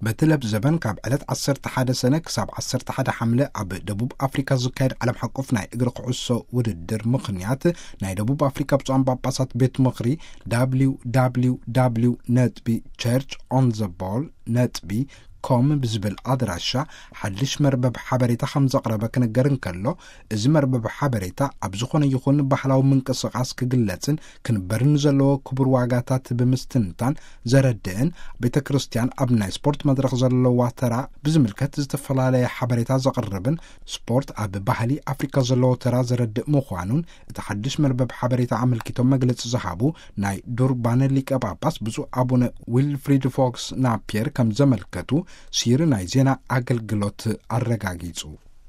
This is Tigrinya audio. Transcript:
በቲ ለብ ዘበን ካብ ዕለት ዓሰርተ ሓደ ሰነ ክሳብ ዓሰርተ ሓደ ሓምለ ኣብ ደቡብ ኣፍሪካ ዝካየድ ዓለም ሓቆፍ ናይ እግሪ ኩዕሶ ውድድር ምኽንያት፣ ናይ ደቡብ ኣፍሪካ ብፁዓን ጳጳሳት ቤት ምኽሪ፣ www ነጥቢ church on the ball ነጥቢ com ብዝብል ኣድራሻ ሓድሽ መርበብ ሓበሬታ ከም ዘቕረበ ክንገር እንከሎ፣ እዚ መርበብ ሓበሬታ ኣብ ዝኾነ ይኹን ባህላዊ ምንቅስቓስ ክግለጽን ክንበርን ዘለዎ ክቡር ዋጋታት ብምስትንታን ዘረድእን፣ ቤተ ክርስቲያን ኣብ ናይ ስፖርት መድረኽ ዘለዋ ተራ ብዝምልከት ዝተፈላለየ ሓበሬታ ዘቕርብን፣ ስፖርት ኣብ ባህሊ ኣፍሪካ ዘለዎ ተራ ዘረድእ ምዃኑን እቲ ሓድሽ መርበብ ሓበሬታ ኣመልኪቶም መግለጺ ዝሃቡ ናይ ዱርባን ሊቀ ጳጳስ ብፁዕ ኣቡነ ዊልፍሪድ ፎክስ ናፒየር ከም ዘመልከቱ ሲሪ ናይ ዜና ኣገልግሎት ኣረጋጊጹ።